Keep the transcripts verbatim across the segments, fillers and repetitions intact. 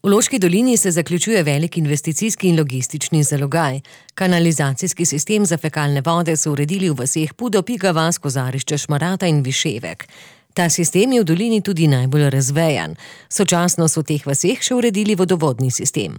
V Loški dolini se zaključuje velik investicijski in logistični zalogaj. Kanalizacijski sistem za fekalne vode so uredili v vaseh Pudo, Piga vas, Kozarišče, Šmarata in Viševek. Ta sistem je v dolini tudi najbolj razvejan. Sočasno so v teh vaseh še uredili vodovodni sistem.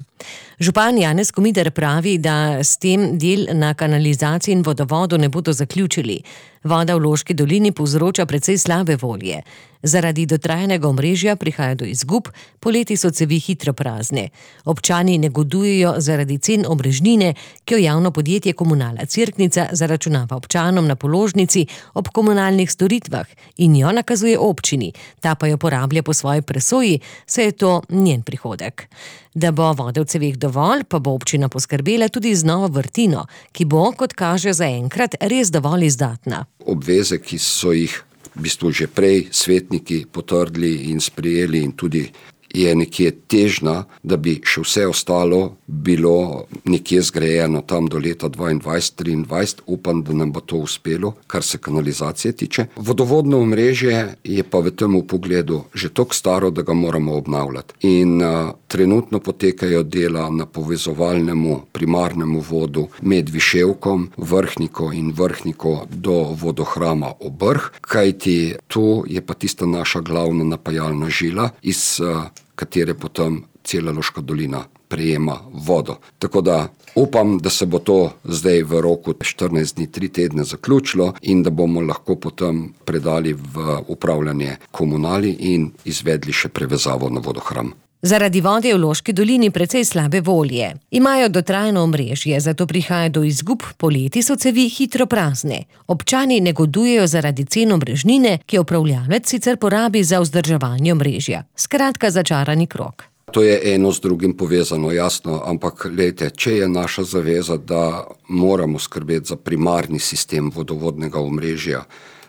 Župan Janez Komider pravi, da s tem del na kanalizaciji in vodovodu ne bodo zaključili. Voda v Loški dolini povzroča precej slabe volje. Zaradi dotrajanega omrežja prihaja do izgub, poleti so cevi hitro prazne. Občani negodujejo zaradi cen omrežnine, ki jo javno podjetje Komunala Cerknica zaračunava občanom na položnici ob komunalnih storitvah in jo nakazuje občini, ta pa jo porablja po svoji presoji, saj je to njen prihodek. Da bo vode v ceveh dovolj, pa bo občina poskrbela tudi z novo vrtino, ki bo, kot kaže zaenkrat, res dovolj izdatna. Obveze, ki so jih v bistvu že prej svetniki potrdili in sprejeli, in tudi je nekje težna, da bi še vse ostalo bilo nekje zgrajeno tam do leta dvaindvajset triindvajset. Upam, da nam bo to uspelo, kar se kanalizacije tiče. Vodovodno omrežje je pa v tem pogledu že toliko staro, da ga moramo obnavljati. In uh, trenutno potekajo dela na povezovalnemu primarnemu vodu med Viševkom, Vrhniko in Vrhniko do vodohrama Obrh, kajti tu je pa tista naša glavna napajalna žila, iz uh, katere potem cela Loška dolina prejema vodo. Tako da upam, da se bo to zdaj v roku štirinajst dni, tri tedne zaključilo in da bomo lahko potem predali v upravljanje komunali in izvedli še prevezavo na vodohram. Zaradi vode v Loški dolini precej slabe volje. Imajo dotrajano omrežje, zato prihaja do izgub, poleti so cevi hitro prazne. Občani negodujejo zaradi cen omrežnine, ki jo upravljavec sicer porabi za vzdrževanje omrežja. Skratka, začarani krog. To je eno z drugim povezano, jasno, ampak glejte, če je naša zaveza, da moramo skrbeti za primarni sistem vodovodnega omrežja,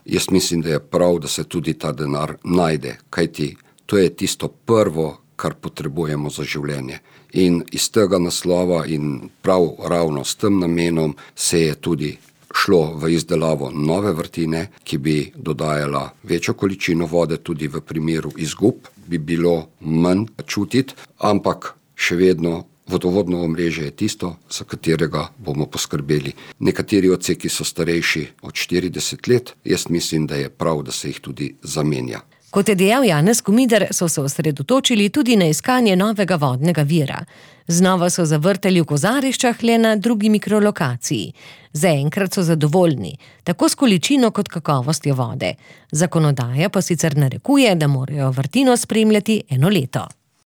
jaz mislim, da je prav, da se tudi ta denar najde, kajti to je tisto prvo, kar potrebujemo za življenje. In iz tega naslova in prav ravno s tem namenom se je tudi šlo v izdelavo nove vrtine, ki bi dodajala večjo količino vode, tudi v primeru izgub bi bilo manj čutiti, ampak še vedno vodovodno omrežje je tisto, za katerega bomo poskrbeli. Nekateri odseki so starejši od štirideset let, jaz mislim, da je prav, da se jih tudi zamenja. Kot je dejal Janez Komider, so se osredotočili tudi na iskanje novega vodnega vira. Znova so zavrtali v Kozariščah, le na drugi mikrolokaciji. Zaenkrat so zadovoljni, tako s količino kot kakovostjo vode. Zakonodaja pa sicer narekuje, da morajo vrtino spremljati eno leto.